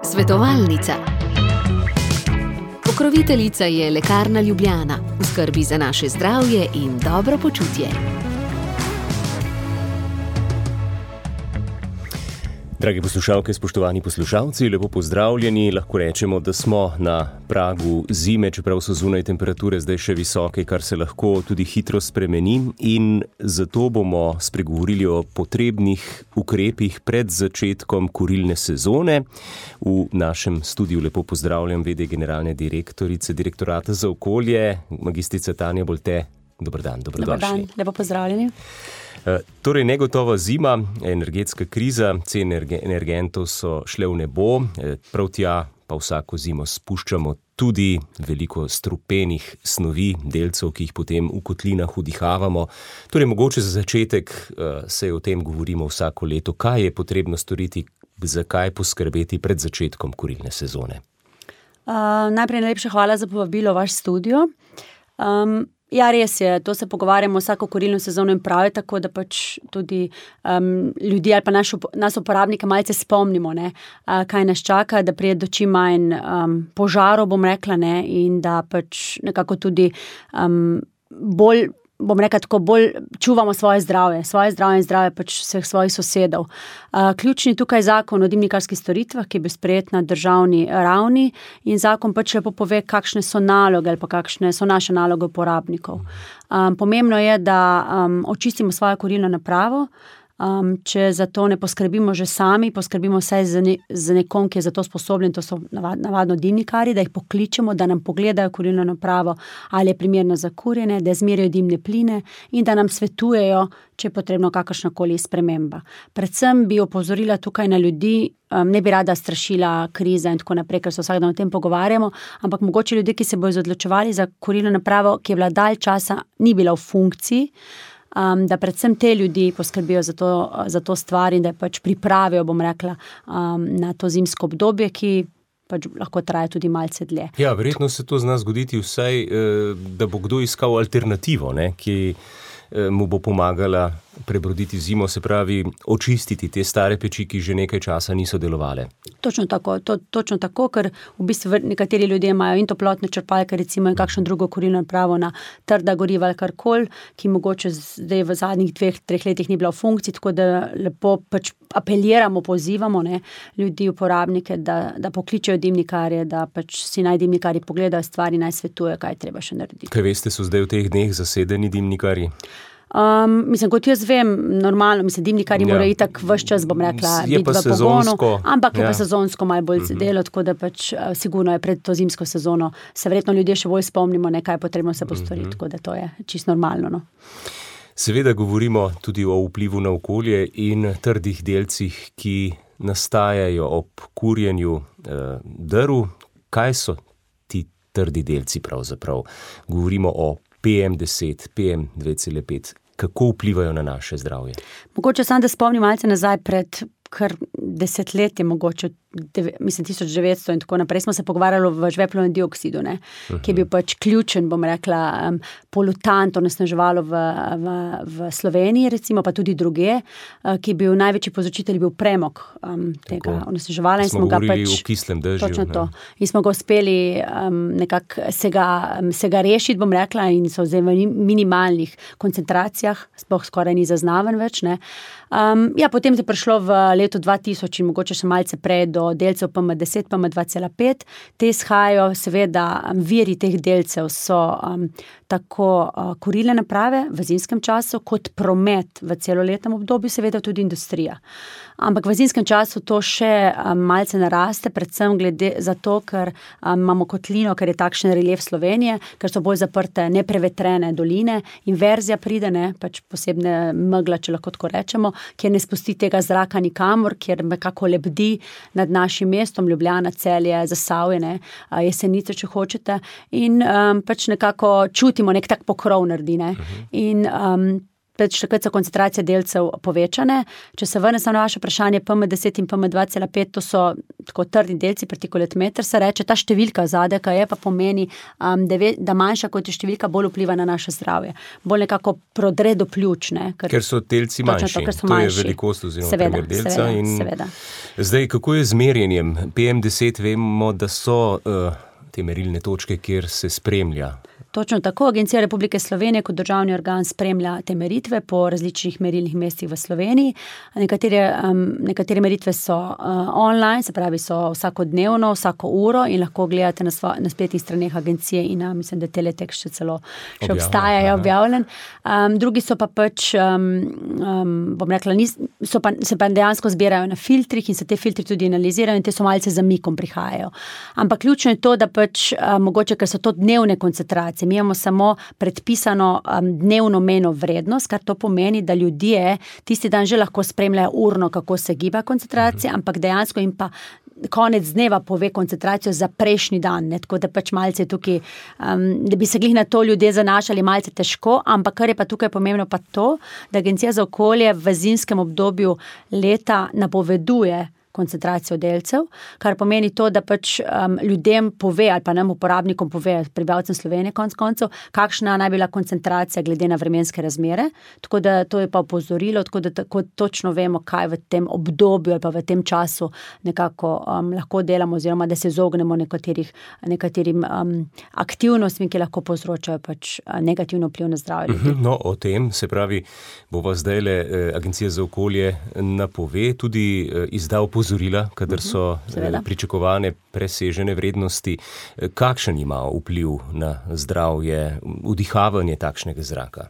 Svetovalnica. Pokroviteljica je Lekarna Ljubljana, v skrbi za naše zdravje in dobro počutje. Dragi poslušalke, spoštovani poslušalci, lepo pozdravljeni. Lahko rečemo, da smo na pragu zime, čeprav so zunaj temperature zdaj še visoke, kar se lahko tudi hitro spremeni, in zato bomo spregovorili o potrebnih ukrepih pred začetkom kurilne sezone. V našem studiu lepo pozdravljam v.d. generalne direktorice Direktorata za okolje, magistrica Tanja Bolte. Dober dan, dobrodošli. Dober dan, lepo pozdravljeni. Torej, negotova zima, energetska kriza, cene energentov so šle v nebo, prav tja pa vsako zimo spuščamo tudi veliko strupenih snovi, delcev, ki jih potem v kotlinah vdihavamo. Torej, mogoče za začetek se o tem govorimo vsako leto. Kaj je potrebno storiti, zakaj poskrbeti pred začetkom kurilne sezone? Najprej najlepša hvala za povabilo v vaš studio. Ja, res je, to se pogovarjamo vsako kurilno sezono in prav je tako, da pač tudi ljudi ali pa nas uporabnike malce spomnimo, ne, kaj nas čaka, da prije do čim manj požarov, bom rekla, ne, in da pač nekako tudi bolj čuvamo svoje zdravje in zdravje pač vseh svojih sosedov. Ključni tukaj zakon o dimnikarskih storitvah, ki je bil sprejet na državni ravni, in zakon pač lepo pove, kakšne so naloge ali pa kakšne so naše naloge uporabnikov. Pomembno je, da očistimo svojo kurilno napravo. Če za to ne poskrbimo že sami, poskrbimo vsaj z nekom, ki je za to sposoben, to so navadno dimnikarji, da jih pokličemo, da nam pogledajo kurilno napravo, ali je primerna za kurjenje, da izmerijo dimne pline in da nam svetujejo, če je potrebno kakršnakoli sprememba. Predvsem bi opozorila tukaj na ljudi, ne bi rada strašila kriza in tako naprej, ker se vsak dan o tem pogovarjamo, ampak mogoče ljudje, ki se bojo odločevali za kurilno napravo, ki je bila dalj časa, ni bila v funkciji, da predvsem te ljudi poskrbijo za to stvar in da pač pripravijo, bom rekla, na to zimsko obdobje, ki pač lahko traja tudi malce dlje. Ja, verjetno se to zna zgoditi vsaj, da bo kdo iskal alternativo, ne, ki mu bo pomagala prebroditi zimo, se pravi očistiti te stare peči, ki že nekaj časa niso delovale. Točno tako, ker v bistvu nekateri ljudje imajo in toplotne črpalke, recimo, in kakšno drugo kurilno napravo na trda goriva ali karkoli, ki mogoče zdaj v zadnjih 2-3 letih ni bila v funkciji, tako da lepo pač apeliramo, pozivamo, ne, ljudi, uporabnike, da pokličejo dimnikarje, da pač si naj dimnikarji pogledajo stvari, naj svetujejo, kaj treba še narediti. Kaj veste, so zdaj v teh dneh zasedeni dimnikarji? Kot jaz vem, normalno, dimnikarji morajo itak ves čas, bom rekla, biti v pogonu, ampak je pa sezonsko malo bolj delo, tako da pač sigurno je pred to zimsko sezono, se verjetno ljudje še bolj spomnimo, kaj je potrebno se postoriti, tako da to je čisto normalno, no. Seveda govorimo tudi o vplivu na okolje in trdih delcih, ki nastajajo ob kurjenju drv. Kaj so ti trdi delci pravzaprav? Govorimo o PM10, PM2,5. Kako vplivajo na naše zdravje? Mogoče samo, da spomnim malce nazaj pred kar desetletje, mogoče 1900 in tako naprej, smo se pogovarjali v žveplovnem dioksidu, ne, ki je bil pač ključen, bom rekla, polutant, onesnaževalo v Sloveniji, recimo, pa tudi druge, ki je bil največji povzročitelj, bil premog tega onesnaževala. Smo govorili o kislem dežju. Točno to. In smo ga uspeli nekako se ga rešiti, bom rekla, in so zdaj v minimalnih koncentracijah, sploh skoraj ni zaznaven več, ne. Potem je prišlo v letu 2000 in mogoče še malce prej do delcev PM10, PM2,5. Te izhajajo, seveda, viri teh delcev so tako kurilne naprave v zimskem času, kot promet v celoletnem obdobju, seveda tudi industrija. Ampak v zimskem času to še malce naraste, predvsem glede za to, ker imamo kotlino, ker je takšen relief Slovenije, ker so bolj zaprte neprevetrene doline, inverzija pride, ne, pač posebne megla, če lahko tako rečemo, kjer ne spusti tega zraka nikamor, kjer nekako lebdi nad našim mestom, Ljubljana, Celje, Zasavje, ne, Jesenice, če hočete, in pač nekako čutimo, nek tak pokrov naredi, ne. In takrat so koncentracije delcev povečane. Če se vrne samo na vaše vprašanje, PM10 in PM2,5, to so tako trdni delci, partikulat meter, se reče, ta številka zadaj, ki je pa pomeni, da manjša kot je številka, bolj vpliva na naše zdravje. Bolj nekako prodre do pljuč, ne? Ker so delci manjši. To je velikost oziroma primer delca. Seveda. Zdaj, kako je z merjenjem? PM10 vemo, da so te merilne točke, kjer se spremlja. Točno tako. Agencija Republike Slovenije kot državni organ spremlja te meritve po različnih merilnih mestih v Sloveniji. Nekatere meritve so online, se pravi so vsakodnevno, vsako uro in lahko gledate na spletnih straneh agencije in mislim, da Teletek še celo še obstaja, je objavljen. Drugi so pa pač, bom rekla, se pa dejansko zbirajo na filtrih in se te filtri tudi analizirajo in te so malce zamikom prihajajo. Ampak ključno je to, da pač mogoče, ker so to dnevne koncentracije, mi imamo samo predpisano dnevno mejno vrednost, kar to pomeni, da ljudje tisti dan že lahko spremljajo urno, kako se giba koncentracija, ampak dejansko jim pa konec dneva pove koncentracijo za prejšnji dan, ne? Tako da pač malce tukaj, da bi se glih na to ljudje zanašali malce težko, ampak kar je pa tukaj pomembno pa to, da Agencija za okolje v zimskem obdobju leta napoveduje koncentracijo delcev, kar pomeni to, da pač ljudem pove ali pa nam uporabnikom pove, prebivalcem Slovenije konec koncev, kakšna naj bila koncentracija glede na vremenske razmere, tako da to je pa opozorilo, tako da tako točno vemo, kaj v tem obdobju ali pa v tem času nekako lahko delamo oziroma da se izognemo nekaterim aktivnostmi, ki lahko povzročajo pač negativno vpliv na zdravje ljudi. No, o tem, se pravi, bova zdajle Agencija za okolje napove, tudi izda opozorila, kadar so pričakovane presežene vrednosti. Kakšen ima vpliv na zdravje, vdihavanje takšnega zraka?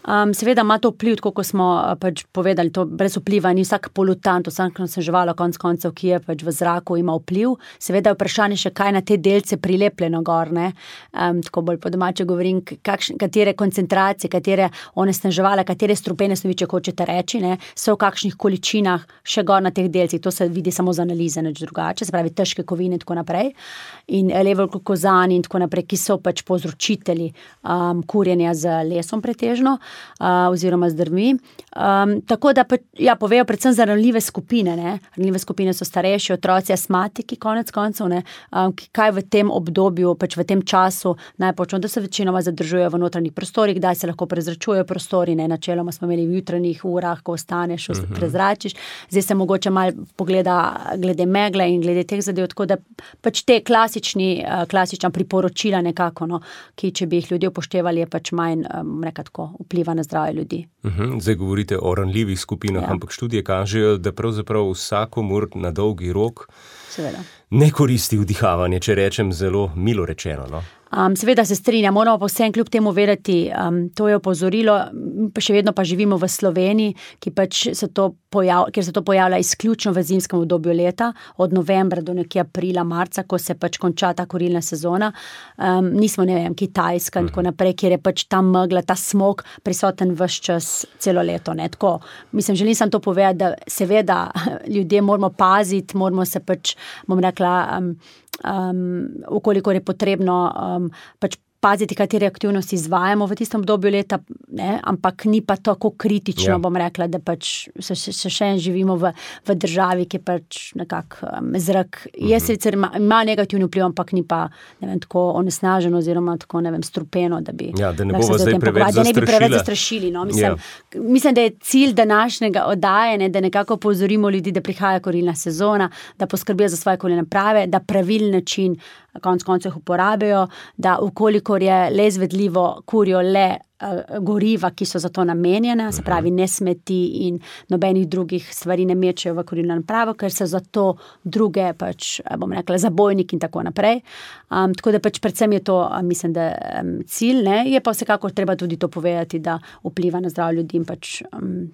Seveda ima to vpliv, tako kot smo pač povedali, to brez vpliva ni vsak polutant, vsak osneževal konec koncev, ki je pač v zraku, ima vpliv. Seveda je vprašanje še, kaj na te delce prilepljeno gor, ne? Tako bolj po domače govorim, katere koncentracije, katere onesnaževala, katere strupene snovi, če hočete reči, ne, so v kakšnih količinah še gor na teh delcih. To se vidi samo z analize, nič drugače, se pravi težke kovine in tako naprej. In levolglukozani in tako naprej, ki so pač povzročitelji kurjenja z lesom pretežno. Oziroma z drvmi. Tako da povejo predvsem za ranljive skupine, ne. Ranljive skupine so starejši, otroci, astmatiki, konec koncev, ne, kaj v tem obdobju, pač v tem času najpočno, da se večinoma zadržujejo v notranjih prostorih, kdaj se lahko prezračujejo prostori, ne, načeloma smo imeli v jutranjih urah, ko ostaneš, prezračiš, zdaj se mogoče malo pogleda glede megle in glede teh zadev, tako da pač te klasična priporočila nekako, no, ki če bi jih ljudje upoštevali, je pač manj, nekako vpliva na zdravje ljudi. Zdaj govorite o ranljivih skupinah, ampak študije kažejo, da pravzaprav vsakomur na dolgi rok ne koristi vdihavanje, če rečem zelo milo rečeno, no? Seveda se strinjam, moramo pa vsem kljub temu vedeti, to je opozorilo, pa še vedno pa živimo v Sloveniji, kjer se to pojavlja izključno v zimskem obdobju leta, od novembra do nekje aprila, marca, ko se pač konča ta kurilna sezona. Nismo, ne vem, Kitajska in tako naprej, kjer je pač ta megla, ta smog prisoten ves čas celo leto, ne, tako. Mislim, želim sam to povedati, da seveda ljudje moramo paziti, moramo se pač, bom rekla, ukolikor je potrebno pač paziti, katere aktivnosti izvajamo v tistem obdobju leta, ne, ampak ni pa tako kritično, bom rekla, da pač se še živimo v državi, ki pač nekako zrak je sicer ima negativni vpliv, ampak ni pa, ne vem, tako onesnaženo oziroma tako, ne vem, strupeno, da bi da ne bomo zdaj preveč zastrašili, no, mislim, da je cilj današnjega oddajanja, da nekako opozorimo ljudi, da prihaja kurilna sezona, da poskrbijo za svoje kurilne naprave, da pravilen način konec koncev uporabijo, da ukolikor je le izvedljivo, kurijo le goriva, ki so za to namenjene, se pravi ne smeti in nobenih drugih stvari ne mečejo v kurilno napravo, ker so za to druge pač, bom rekla, zabojniki in tako naprej. Tako da pač predvsem je to, mislim, da cilj, ne, je pa vsekako treba tudi to povedati, da vpliva na zdravje ljudi in pač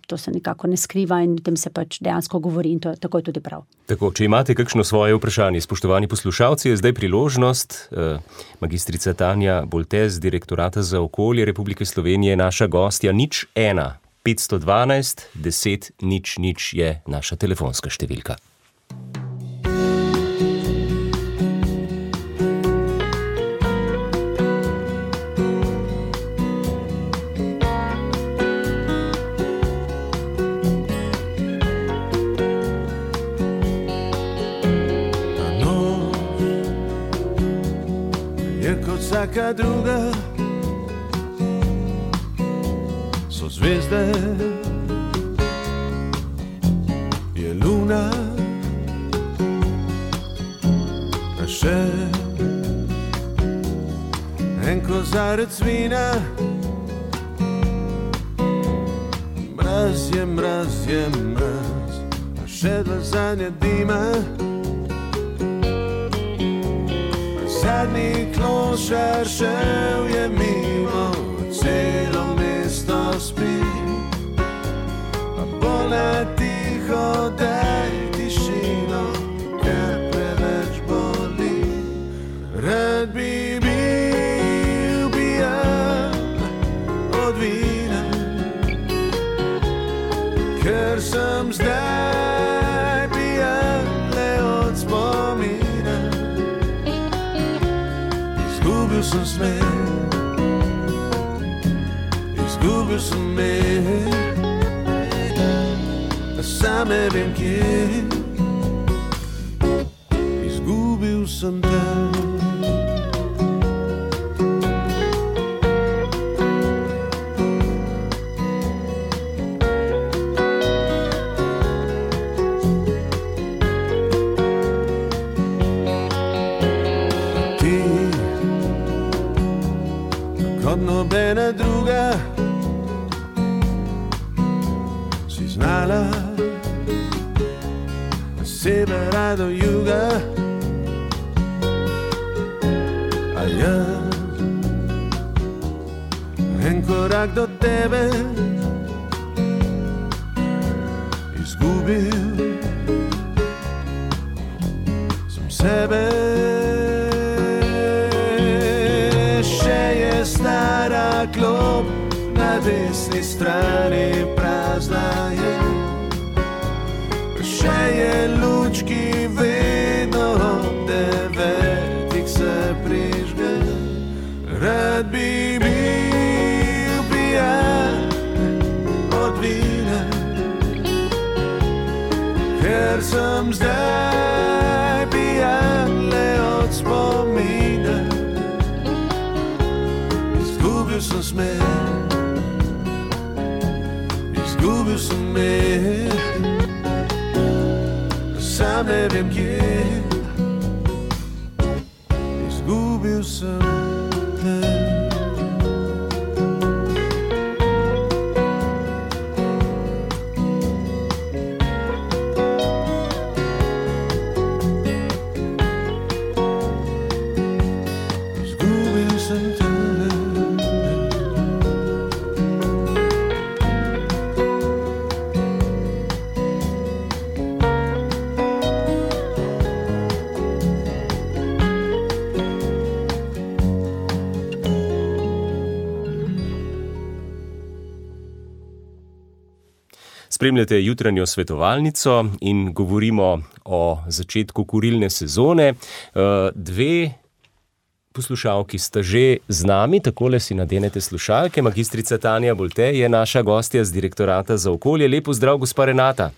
to se nekako ne skriva in o tem se pač dejansko govori in to tako je tudi prav. Tako, če imate kakšno svoje vprašanje, spoštovani poslušalci, je zdaj priložnost. Magistrica Tanja Boltez, Direktorata za okolje Republike Slovenije, naša gostja. 01 512 10 00 je naša telefonska številka. vsaka druga so zvezde, je luna, a še en kozarec vina. Mraz je mraz, a še dva zadnja dima. Zadnji klošar šel je mimo, celo mesto spi, a bolj na tiho daj tišino, ker preveč boli. Rad bi bil pijan od vina, ker sem zdaj pijan le od spomina. Izgubil sem smer, izgubil sem mer, a sam ne vem kje. Izgubil sem te. Nobena druga si znala severa do juga, a jaz en korak do tebe izgubil sem sebe. Stara klop na desni strani prazna je, še je luč, ki vedno ob 9 se prižge. Rad bi bil pijan od vina, ker sem zdaj pijan le od spomina. Izgubil sem smer, izgubil sem mer, sam ne vem kje. Izgubil sem te. Izgubil sem te. Spremljate jutranjo svetovalnico in govorimo o začetku kurilne sezone. Dve poslušalki sta že z nami, takole si nadenete slušalke. Magistrica Tanja Bolte je naša gostja z Direktorata za okolje. Lep pozdrav, gospa Renata.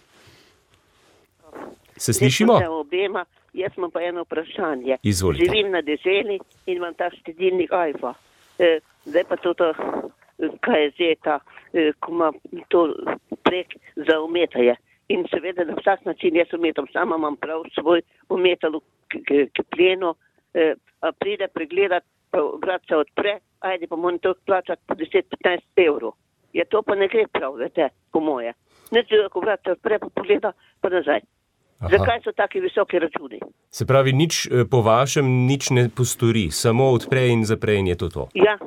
Se slišimo? Obema. Jaz imam pa eno vprašanje. Izvolite. Živim na deželi in imam ta štedilnik Ajfa. Zdaj pa to, kaj je zdaj ta, ko ima to prek za umetanje. In seveda na vsak način jaz umetam, sama imam prav svoj umetal k plenu, pride pregledati, vrat se odpre, ajde pa moram to plačati po 10-15 evrov. Ja, to pa ne gre prav, vete, po moje. Ne, ko vrat se odpre, pa pogleda, pa nazaj. Aha. Zakaj so taki visoki računi? Se pravi, nič po vašem nič ne postori, samo odpre in zapre in je to. Ja.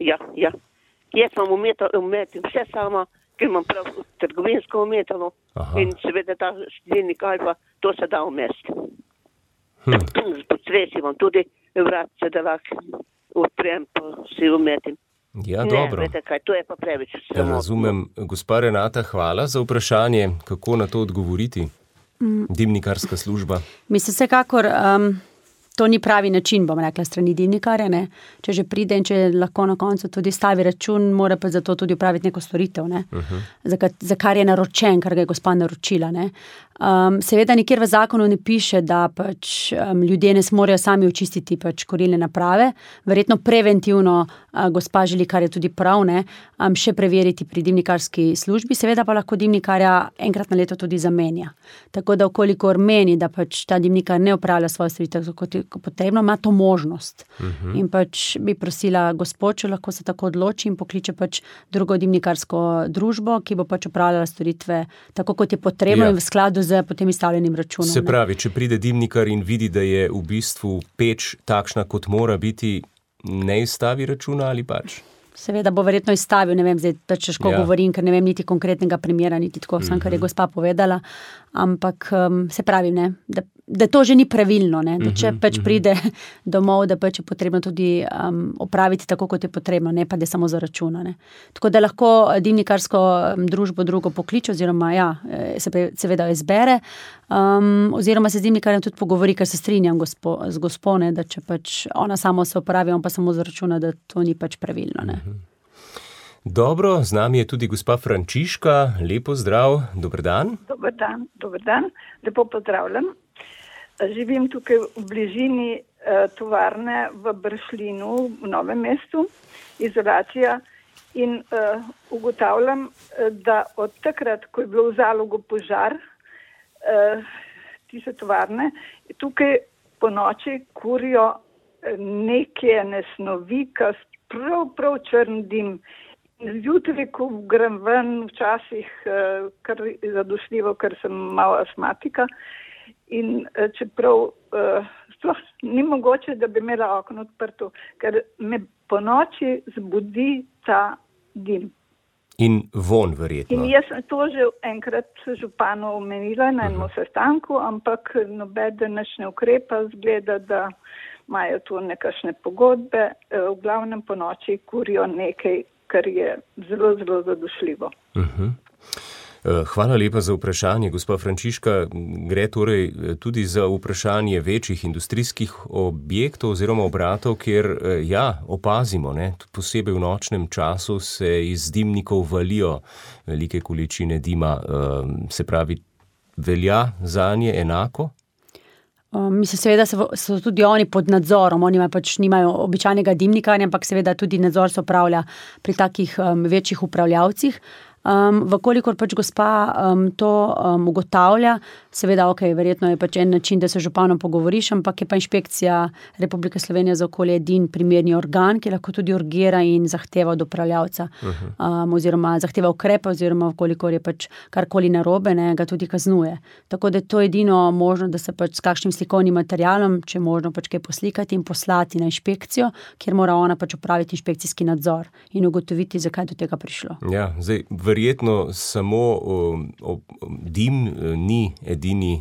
Jaz imam umetim vse sama, ker imam prav trgovinsko umetalo. In seveda ta štedilnik Ajfa, to se da umesti. Pod stresi imam tudi vrat se da lahko odprem, pa si umetim. Ja, dobro. Ne, vete kaj, to je pa preveč. Razumem. Gospa Renata, hvala za vprašanje. Kako na to odgovoriti? Dimnikarska služba. Mislim, vsekakor to ni pravi način, bom rekla, strani dimnikarja, ne. Če že pride in če lahko na koncu tudi stavi račun, mora pa zato tudi upraviti neko storitev, ne. Za kar je naročen, kar ga je gospa naročila, ne. Seveda nikjer v zakonu ne piše, da pač ljudje ne smorejo sami očistiti pač kurilne naprave. Verjetno preventivno gospa želi, kar je tudi prav, ne, še preveriti pri dimnikarski službi, seveda pa lahko dimnikarja enkrat na leto tudi zamenja. Tako da okolikor meni, da pač ta dimnikar ne opravlja svoje storitev kot je potrebno, ima to možnost. In pač bi prosila gospod, če lahko se tako odloči in pokliče pač drugo dimnikarsko družbo, ki bo pač opravljala storitve tako, kot je potrebno in v skladu z potem izstavljenim računom. Se pravi, če pride dimnikar in vidi, da je v bistvu peč takšna, kot mora biti, ne izstavi računa ali pač? Seveda bo verjetno izstavil, ne vem, zdaj pač težko govorim, ker ne vem niti konkretnega primera, niti tako sam, kar je gospa povedala, ampak se pravi, ne, da to že ni pravilno, ne, da če pač pride domov, da pač je potrebno tudi opraviti tako, kot je potrebno, ne pa da samo za računa, ne. Tako da lahko dimnikarsko družbo drugo pokliče, oziroma seveda izbere, oziroma se z dimnikarjem tudi pogovori, ker se strinjam z gospo, ne, da če pač ona samo se opravi, on pa samo za računa, da to ni pač pravilno, ne. Dobro, z nami je tudi gospa Frančiška, lepo zdrav, dober dan. Dober dan, lepo pozdravljam. Živim tukaj v bližini tovarne v Bršljinu, v Novem mestu, izolacija, in ugotavljam, da od takrat, ko je bilo v Zalogu požar, tiste tovarne, tukaj po noči kurijo neke nesnovi, kas prav črn dim. Zjutraj, ko grem ven, včasih kar zadošljivo, ker sem malo astmatika, in čeprav sploh ni mogoče, da bi imela okno odprto, ker me po noči zbudi ta dim. In von verjetno. In jaz sem to že enkrat županu omenila na enem sestanku, ampak nobeden nič ne ukrepa, zgleda, da imajo tu nekakšne pogodbe, v glavnem po noči kurijo nekaj, kar je zelo, zelo zadošljivo. Hvala lepa za vprašanje, gospa Frančiška. Gre torej tudi za vprašanje večjih industrijskih objektov oziroma obratov, kjer opazimo, ne, posebej v nočnem času se iz dimnikov valijo velike količine dima. Se pravi, velja zanje enako? Mislim, seveda so tudi oni pod nadzorom, oni pač nimajo običajnega dimnikarja, ampak seveda tudi nadzor se opravlja pri takih večjih upravljavcih. Vkolikor pač gospa to ugotavlja, seveda, verjetno je pač en način, da se županom pogovoriš, ampak je pa Inšpekcija Republike Slovenije za okolje edini primerni organ, ki lahko tudi urgira in zahteva od upravljavca, oziroma zahteva ukrepe, oziroma vkolikor je pač karkoli narobe, ne, ga tudi kaznuje. Tako da je to edino možno, da se pač s kakšnim slikovnim materialom, če možno pač kaj poslikati in poslati na inšpekcijo, kjer mora ona pač opraviti inšpekcijski nadzor in ugotoviti, zakaj do tega prišlo. Ja, zdaj verjetno samo dim ni edini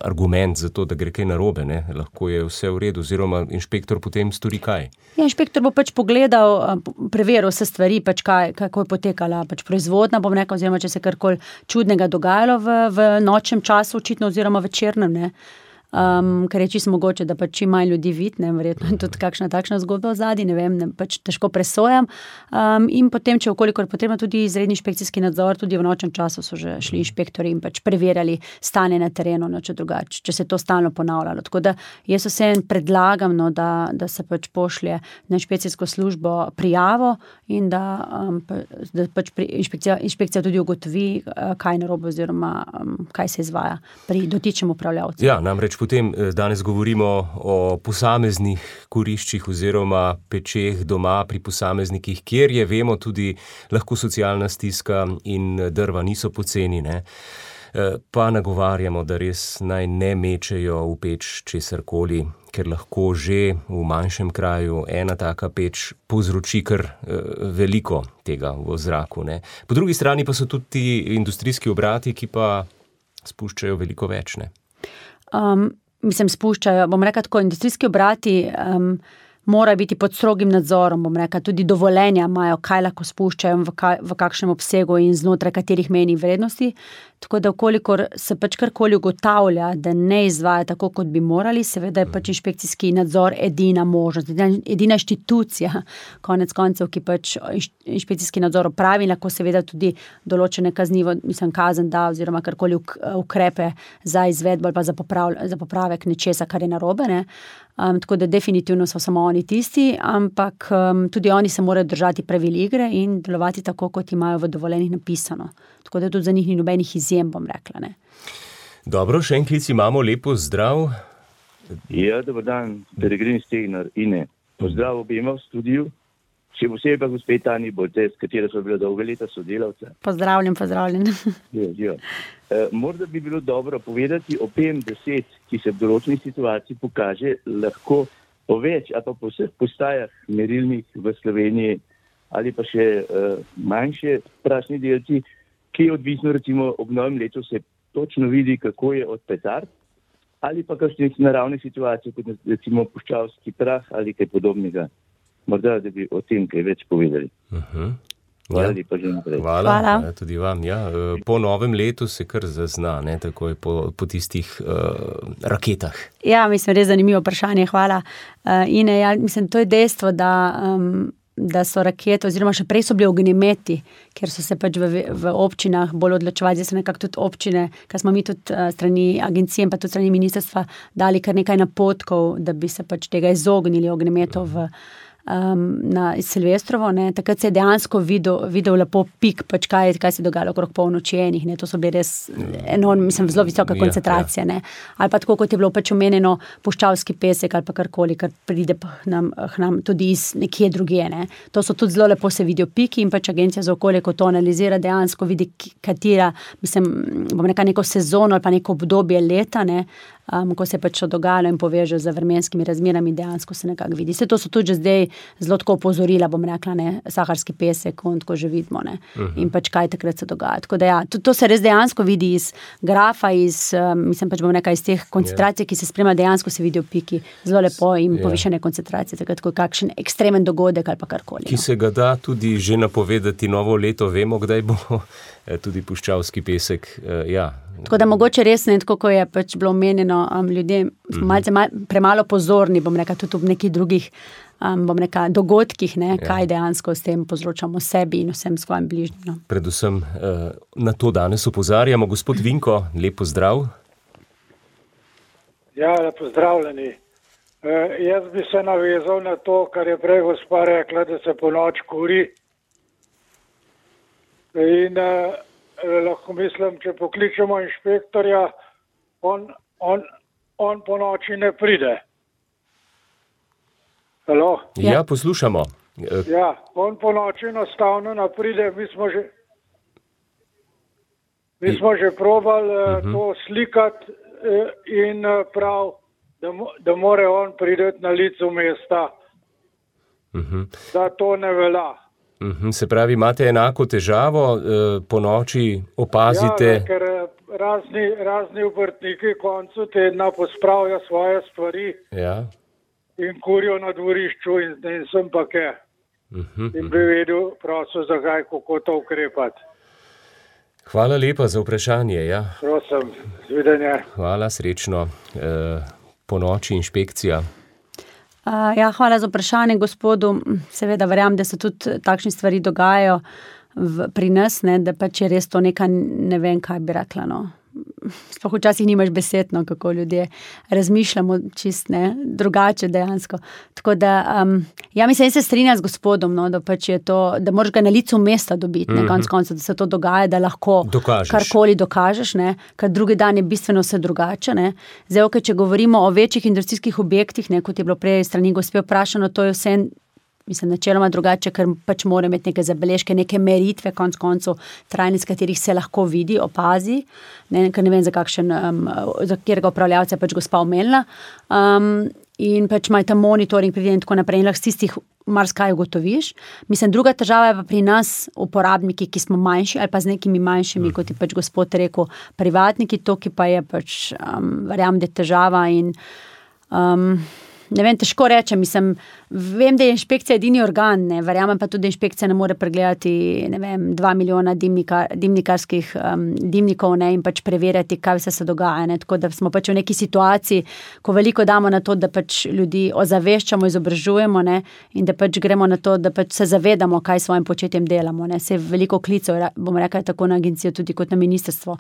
argument za to, da gre kaj narobe, ne? Lahko je vse v redu, oziroma inšpektor potem stori kaj? Ja, inšpektor bo pač pogledal, preveril vse stvari, pač kako je potekala pač proizvodnja, bom rekel, oziroma če se karkoli čudnega dogajalo v nočnem času, očitno, oziroma večernem, ne. Ker je čisto mogoče, da pač čim manj ljudi vidi, ne, verjetno je tudi kakšna takšna zgodba v zadnji, ne vem, pač težko presojam. In potem, če okolikor je potrebno tudi izredni inšpekcijski nadzor, tudi v nočnem času so že šli inšpektori in pač preverjali stanje na terenu, no, če drugače, če se to stalno ponavljalo. Tako da jaz vseeno predlagam, no, da se pač pošlje na inšpekcijsko službo prijavo in da pač inšpekcija tudi ugotovi, kaj narobe oziroma kaj se izvaja pri dotičnem upravljavcu. Ja, namreč potem danes govorimo o posameznih kuriščih oziroma pečeh doma pri posameznikih, kjer je, vemo, tudi lahko socialna stiska in drva niso poceni, ne. Pa nagovarjamo, da res naj ne mečejo v peč česarkoli, ker lahko že v manjšem kraju ena taka peč povzroči kar veliko tega v zraku, ne. Po drugi strani pa so tudi ti industrijski obrati, ki pa spuščajo veliko več, ne. Spuščajo, bom rekla tako, industrijski obrati, mora biti pod strogim nadzorom, bom rekla, tudi dovoljenja imajo, kaj lahko spuščajo, v kakšnem obsegu in znotraj katerih mejnih vrednosti. Tako da, kolikor se pač karkoli ugotavlja, da ne izvaja tako, kot bi morali, seveda je pač inšpekcijski nadzor edina možnost, edina inštitucija, konec koncev, ki pač inšpekcijski nadzor opravi, lahko seveda tudi določene kazen da, oziroma karkoli ukrepe za izvedbo ali pa za popravek nečesa, kar je narobe, ne. Tako da definitivno so samo oni tisti, ampak tudi oni se morajo držati pravil igre in delovati tako, kot imajo v dovoljenih napisano. Tako da tudi za njih ni nobenih izjem, bom rekla, ne. Dobro, še en klic imamo, lepo zdrav. Ja, dober dan, Peregrin Stegnar, Ine. Pozdrav obema v studiu, še posebej pa gospe Tani Bolte, s katero so bila dolga leta sodelavca. Pozdravljen. Ja. Morda bi bilo dobro povedati o PM10, ki se v določenih situaciji pokaže lahko po več ali pa po vseh postajah merilnih v Sloveniji ali pa še manjše prašni delci, ki je odvisno recimo ob novem letu se točno vidi, kako je od petard ali pa kakšnih naravnih situacij, kot recimo puščavski prah ali kaj podobnega. Morda, da bi o tem kaj več povedali. Hvala. Tudi vam. Ja. Po novem letu se kar zazna, ne, takoj po tistih raketah. Ja, mislim, res zanimivo vprašanje, hvala. Ine, ja, mislim, to je dejstvo, da so rakete, oziroma še prej so bili ognjemeti, ker so se pač v občinah bolj odločevali, zdaj so nekako tudi občine, ker smo mi tudi strani agencije in pa tudi strani ministrstva dali kar nekaj napotkov, da bi se pač tega izognili ognjemetov na Silvestrovo, ne. Takrat se je dejansko videl lepo pik, pač kaj se je dogajalo okrog polnoči enih, ne. To so bili res enormni, mislim, zelo visoka koncentracija, ne. Ali pa tako, kot je bilo pač omenjeno, puščavski pesek ali pa karkoli, kar pride k nam tudi iz nekje drugje, ne. To so tudi zelo lepo se vidijo piki in pač agencija za okolje, ko to analizira, dejansko vidi, katera, mislim, bom rekla neko sezono ali pa neko obdobje leta, ne, ko se pač to dogajalo in poveže z vremenskimi razmerami, dejansko se nekako vidi. Vse to so tudi že zdaj zelo tako opozorila, bom rekla, ne, saharski pesek, on tako že vidimo, ne, in pač kaj takrat se dogaja. Tako da ja, to se res dejansko vidi iz grafa, mislim pač bom rekla, iz teh koncentracij, ki se spremlja, dejansko se vidijo piki, zelo lepo in povišene koncentracije, takrat, ko je kakšen ekstremen dogodek ali pa karkoli. Ki se ga da tudi že napovedati novo leto, vemo, kdaj bo tudi puščavski pesek, ja. Tako da mogoče res ne, tako ko je pač bilo omenjeno, ljudje smo malce premalo pozorni, bom rekla, tudi v nekih drugih, bom rekla, dogodkih, ne, kaj dejansko s tem povzročamo sebi in vsem svojim bližnjim. No. Predvsem na to danes opozarjamo. Gospod Vinko, lep pozdrav. Ja, lep pozdravljeni. Jaz bi se navezal na to, kar je prej gospa rekla, da se po noč kuri. In lahko mislim, če pokličemo inšpektorja, on po noči ne pride. Halo? Ja, poslušamo. Ja, on po noči enostavno ne pride, mi smo že probali to slikati in prav, da more on prideti na licu mesta, da to ne velja. Se pravi, imate enako težavo, po noči opazite? Ja, ker razni obrtniki koncu tedna pospravijo svoje stvari in kurijo na dvorišču in sem pa kaj. In bi vedel prosil, zakaj, kako to ukrepati. Hvala lepa za vprašanje, ja. Prosim, zvidenje. Hvala, srečno. Po noči inšpekcija. Ja, hvala za vprašanje, gospodu. Seveda verjamem, da se tudi takšne stvari dogajajo pri nas, ne, da pač je res to neka, ne vem, kaj bi rekla, no. Sploh včasih nimaš besed, no, kako ljudje razmišljamo čist, ne, drugače dejansko. Tako da, ja, mislim, se strinjam z gospodom, no, da pač je to, da moraš ga na licu mesta dobiti, ne, konec koncev, da se to dogaja, da lahko karkoli dokažeš, ne, ker drugi dan je bistveno vse drugače, ne. Zdaj, če govorimo o večjih industrijskih objektih, ne, kot je bilo prej strani gospe vprašano, to je vse, mislim, načeloma drugače, ker pač mora imeti neke zabeležke, neke meritve, konc koncev, trajnic, katerih se lahko vidi, opazi, ne, ker ne vem, za katerega upravljavca je pač gospa omenila, in pač ima ta monitoring pride in tako naprej, in lahko s tistih marsikaj ugotoviš. Mislim, druga težava je pa pri nas uporabniki, ki smo manjši, ali pa z nekimi manjšimi, kot je pač gospod rekel, privatniki, to, ki pa je pač, verjamem, da je težava in ne vem, težko rečem, mislim, Vem, da je inšpekcija edini organ, ne, verjamem pa tudi, da inšpekcija ne more pregledati, 2 milijona dimnikarskih dimnikov, ne, in pač preverjati, kaj vse se dogaja, ne, tako da smo pač v neki situaciji, ko veliko damo na to, da pač ljudi ozaveščamo, izobražujemo, ne, in da pač gremo na to, da pač se zavedamo, kaj s svojim početjem delamo, ne, se veliko klicev, bom rekla, tako na agencijo, tudi kot na ministrstvo,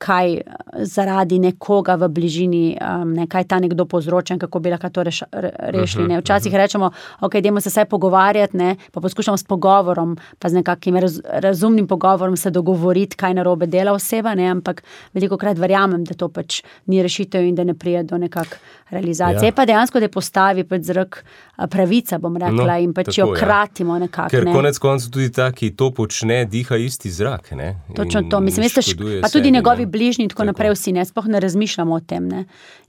kaj zaradi nekoga v bližini, ne, kaj ta nekdo povzroča in kako bi lahko to rešili, ne, včasih rečemo, ok, dajmo se vsaj pogovarjati, ne, pa poskušamo s pogovorom, pa z nekakvim razumnim pogovorom se dogovoriti, kaj narobe dela oseba, ne, ampak velikokrat verjamem, da to pač ni rešitev in da ne prije do nekak realizacije. Pa dejansko, da je postavi pač zrak pravica, bom rekla, in pač jo kratimo nekako. Ker konec koncev tudi ta, ki to počne, diha isti zrak, ne. Točno to, mislim, veste, pa tudi njegovi bližnji in tako naprej vsi, ne, sploh ne razmišljamo o tem, ne.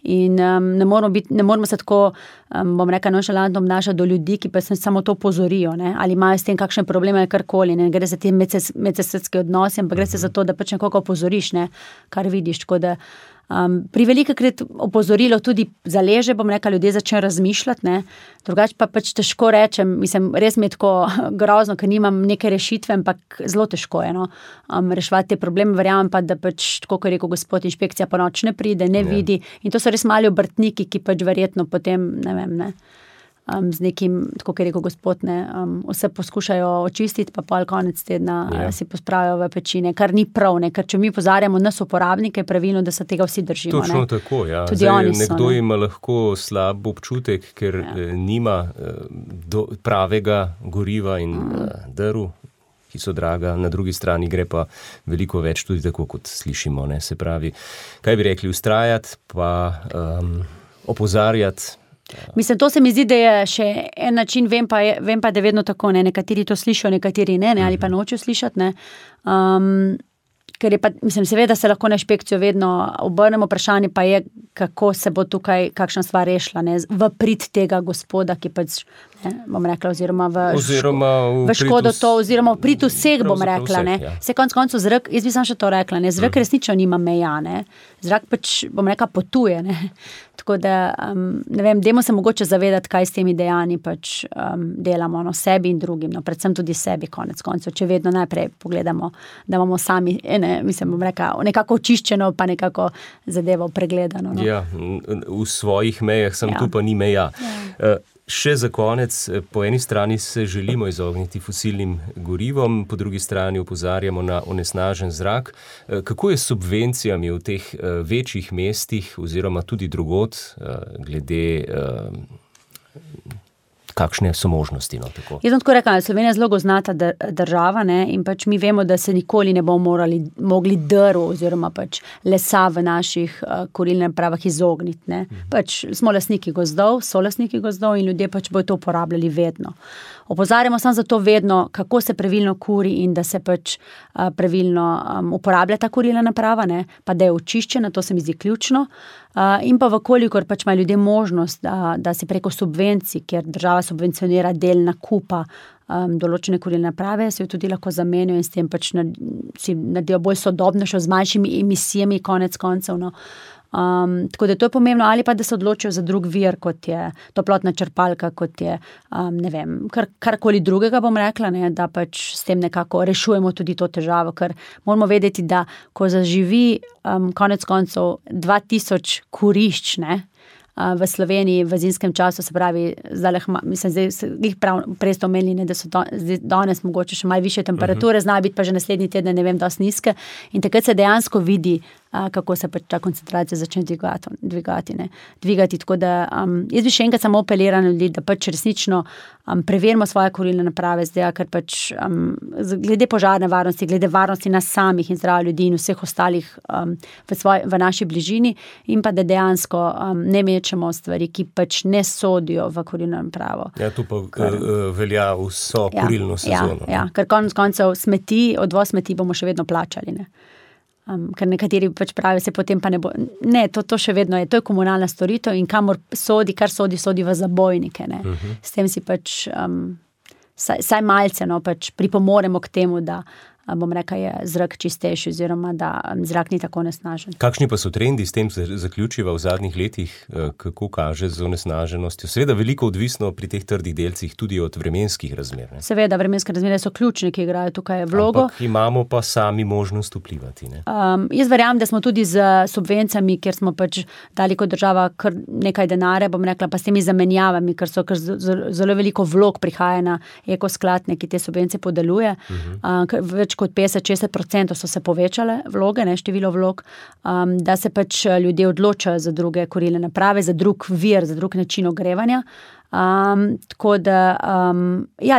In ne moramo se tako, bom rekla, nonšalantno obnašati do ljudi, ki pa se samo to pozorijo, ne, ali imajo s tem kakšne probleme ali karkoli, ne, gre za te medsesudske odnose, ampak gre se za to, da pač nekoga opozoriš, ne, kar vidiš, tako da pri velikokrat opozorilo tudi zaleže, bom rekla, ljudje začnejo razmišljati, ne, drugače pa pač težko rečem, mislim, res mi je tako grozno, ker nimam neke rešitve, ampak zelo težko je, no, reševati te probleme, verjamem pa, da pač, tako kot je rekel gospod, inšpekcija po noč ne pride, ne vidi, in to so res mali obrtniki, ki pač verjetno potem, ne vem, ne, z nekim, tako kot je rekel gospod, ne, vse poskušajo očistiti, pa pol konec tedna si pospravijo v pečine, kar ni prav, ne, ker če mi pozarjamo nas uporabnike, pravilno, da se tega vsi držimo. Točno ne. Tako, ja. Tudi oni so, nekdo ima lahko slab občutek, ker nima pravega goriva in drv, ki so draga, na drugi strani gre pa veliko več tudi tako, kot slišimo, ne, se pravi, kaj bi rekli, vztrajati, pa opozarjati. Mislim, to se mi zdi, da je še en način, vem pa, da je vedno tako, ne, nekateri to slišijo, nekateri ne, ali pa nočejo slišati, ne, ker je pa, mislim, seveda se lahko na inšpekcijo vedno obrnemo, vprašanje pa je, kako se bo tukaj kakšna stvar rešila, ne, v prid tega gospoda, ki pač, ne, bom rekla, oziroma v škodo to, oziroma v prid vseh, bom rekla, ne, se konc koncev zrak, jaz bi sam še to rekla, ne, zrak resnično nima meja, ne, zrak pač, bom rekla, potuje, ne, tako da, ne vem, dajmo se mogoče zavedati, kaj s temi dejanji pač delamo, no, sebi in drugim, no, predvsem tudi sebi, konec koncev, če vedno najprej pogledamo, da imamo sami, mislim, bom rekla, nekako očiščeno, pa nekako zadevo pregledano. No. Ja, v svojih mejah, sem tu pa ni meja. Še za konec, po eni strani se želimo izogniti fosilnim gorivom, po drugi strani opozarjamo na onesnažen zrak. Kako je s subvencijami v teh večjih mestih oziroma tudi drugod, glede kakšne so možnosti, no, tako? Jaz sem tako rekla, Slovenija je zelo gozdnata država, ne, in pač mi vemo, da se nikoli ne bomo mogli drv oziroma pač lesa v naših kurilnih napravah izogniti, ne. Pač smo lastniki gozdov, so lastniki gozdov in ljudje pač bodo to uporabljali vedno. Opozarjamo samo za to vedno, kako se pravilno kuri in da se pač pravilno uporablja ta kurilna naprava, ne, pa da je očiščena, to se mi zdi ključno. In pa vkolikor pač ima ljudje možnost, da si preko subvencij, kjer država subvencionira del nakupa določene kurilne naprave, se jo tudi lahko zamenijo in s tem pač si naredijo bolj sodobnejšo, z manjšimi emisijami konec koncev, no. Tako da to je pomembno, ali pa da se odločijo za drug vir, kot je toplotna črpalka, kot je, ne vem, karkoli drugega bom rekla, ne, da pač s tem nekako rešujemo tudi to težavo, ker moramo vedeti, da ko zaživi konec koncev 2000 kurišč, ne, v Sloveniji v zimskem času, se pravi, prej ste omenili, da so danes mogoče še malo višje temperature, znajo biti pa že naslednji teden, ne vem, dosti nizke, in takrat se dejansko vidi, kako se pač ta koncentracija začne dvigati, tako da jaz bi še enkrat samo apelirala na ljudi, da pač resnično preverimo svoje kurilne naprave, zdaj, ker pač glede požarne varnosti, glede varnosti nas samih in zdravja ljudi in vseh ostalih v naši bližini, in pa da dejansko ne mečemo stvari, ki pač ne sodijo v kurilno napravo. Ja, tu pa velja vso kurilno sezono. Ja, ker konec koncev odvoz smeti bomo še vedno plačali, ne. Ker nekateri pač pravijo, se potem pa ne bo, ne, to še vedno je, to je komunalna storitev in kar sodi v zabojnike, ne. S tem si pač saj malce, no, pač pripomoremo k temu, da bom rekla, je zrak čistejši oziroma da zrak ni tako onesnažen. Kakšni pa so trendi, s tem se zaključiva v zadnjih letih, kako kaže z onesnaženostjo? Seveda veliko odvisno pri teh trdih delcih tudi od vremenskih razmer. Ne? Seveda, vremenske razmere so ključne, ki igrajo tukaj vlogo. Ampak imamo pa sami možnost vplivati. Ne? Jaz verjamem, da smo tudi z subvencijami, kjer smo pač dali kot država kar nekaj denarja, bom rekla, pa s temi zamenjavami, ker zelo veliko vlog prihaja na ekoskladne, ki te subvencije podeluje. Več kot 50-60% so se povečale vloge, ne, število vlog, da se pač ljudje odločajo za druge kurilne naprave, za drug vir, za drug način ogrevanja. Tako da,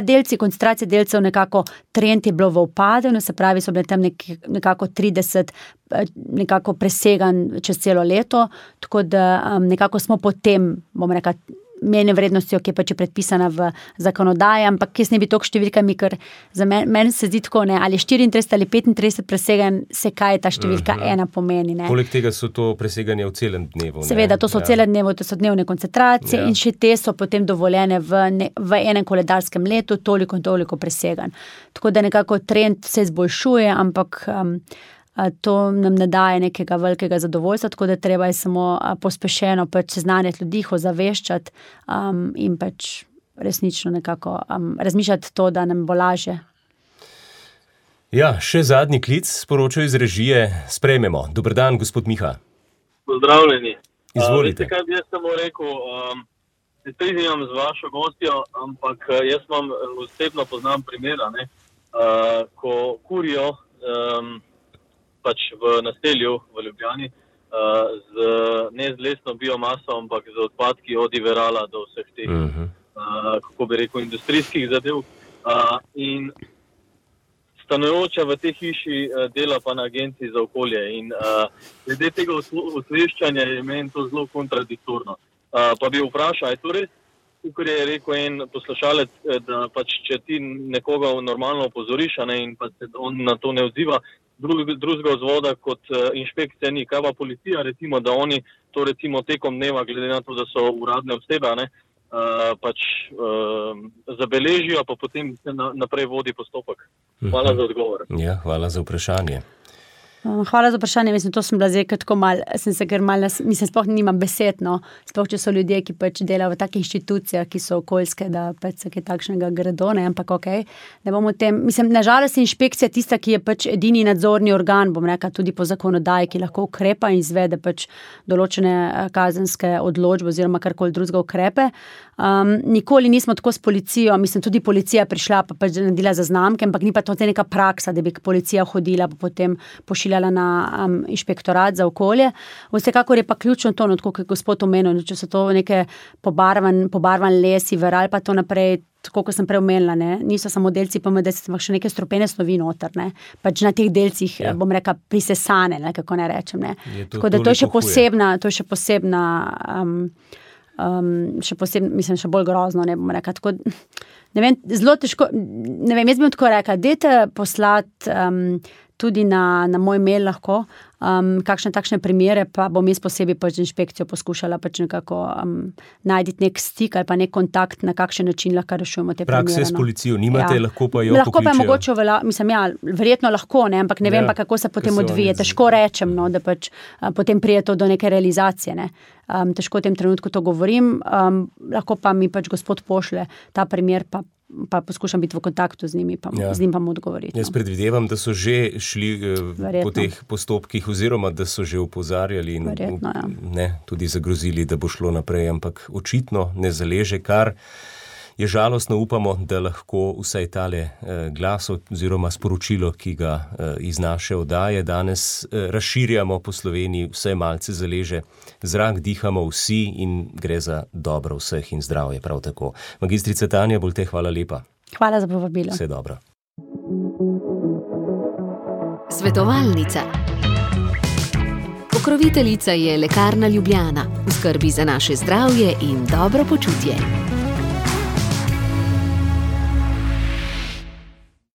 delci, koncentracije delcev nekako trend je bilo v upadanju, se pravi, so bile tam nekako 30 nekako presegan čez celo leto, tako da nekako smo potem, bom rekla, mejne vrednostjo, ki je pač predpisana v zakonodaji, ampak jaz ne bi toliko številkami, ker za meni se zdi tako, ne, ali 34 ali 35 presegan, se kaj ta številka ena pomeni. Ne. Poleg tega so to preseganje v celem dnevu. Seveda, to so v celem dnevu, to so dnevne koncentracije in še te so potem dovoljene v enem koledarskem letu, toliko in toliko presegan. Tako da nekako trend se izboljšuje, ampak to nam ne daje nekega velikega zadovoljstva, tako da treba je samo pospešeno pač seznanjati ljudi, ozaveščati in pač resnično nekako razmišljati to, da nam bo lažje. Ja, še zadnji klic sporočajo iz režije. Sprejmemo. Dober dan, gospod Miha. Pozdravljeni. Izvolite. Veste, kaj bi jaz samo rekel, se strinjam z vašo gostjo, ampak jaz osebno poznam primera, ne, ko kurijo pač v naselju v Ljubljani, ne z lesno biomaso, ampak z odpadki od Iverala do vseh teh, kako bi rekel, industrijskih zadev. In stanujoča v tej hiši dela pa na agenciji za okolje. In glede tega osveščanja je meni to zelo kontradiktorno. Pa bi vprašal, je to res, kot je rekel en poslušalec, da pač če ti nekoga normalno opozoriš, in pa se on na to ne odziva, drugega vzvoda kot inšpekcija ni. Kaj pa policija, recimo, da oni to recimo tekom dneva, glede na to, da so uradne osebe, pač zabeležijo, pa potem se naprej vodi postopek. Hvala za odgovor. Ja, hvala za vprašanje. Hvala za vprašanje, mislim, to sem bila zdaj tako mislim, sploh nimam besed, no, sploh, če so ljudje, ki pač delajo v takih inštitucijah, ki so okoljske, da pač se kaj takšnega gredo, ne, ampak okej, ne bomo tem, mislim, nažalost je inšpekcija tista, ki je pač edini nadzorni organ, bom rekla, tudi po zakonodaji, ki lahko ukrepa in izvede pač določene kazenske odločbe oziroma karkoli drugega ukrepe. Nikoli nismo tako s policijo, mislim, tudi policija prišla, pa pač naredila zaznamke, ampak ni pa to neka praksa, da bi policija hodila, pa potem pošiljala na inšpektorat za okolje. Vsekakor je pa ključno to, tako kot je gospod omenil, če so to neke pobarvan les, Iveral, pa to naprej, tako kot sem prej omenila, ne, niso samo delci PMD, ampak še neke strupene snovi noter, ne, pač na teh delcih, bom rekla, prisesane, ne, kako ne rečem, ne. Tako da to je še posebna, mislim, še bolj grozno, ne bom rekla, tako, ne vem, zelo težko, ne vem, jaz bi tako rekla, dajte poslati tudi na moj mail lahko, kakšne takšne primere, pa bom jaz posebej pač inšpekcijo poskušala pač nekako najti nek stik ali pa nek kontakt, na kakšen način lahko rešujemo te primere. Prakse s policijo nimate, lahko pa jo lahko pokličejo. Pa mogoče, mislim, verjetno lahko, ne, ampak ne vem pa, kako se potem odvije. Težko rečem, no, da pač potem prije to do neke realizacije, ne. Težko v tem trenutku to govorim, lahko pa mi pač gospod pošle ta primer, pa poskušam biti v kontaktu z njimi, z njim pa mu odgovoriti. Jaz predvidevam, da so že šli po teh postopkih oziroma da so že opozarjali in tudi zagrozili, da bo šlo naprej, ampak očitno ne zaleže, kar je žalostno. Upamo, da lahko vsaj tale glas oziroma sporočilo, ki ga iz naše oddaje danes razširjamo po Sloveniji, vsaj malce zaleže. Zrak dihamo vsi in gre za dobro vseh in zdravje prav tako. Magistrica Tanja Bolte, hvala lepa. Hvala za povabilo. Vse dobro. Svetovalnica. Pokroviteljica je Lekarna Ljubljana. V skrbi za naše zdravje in dobro počutje.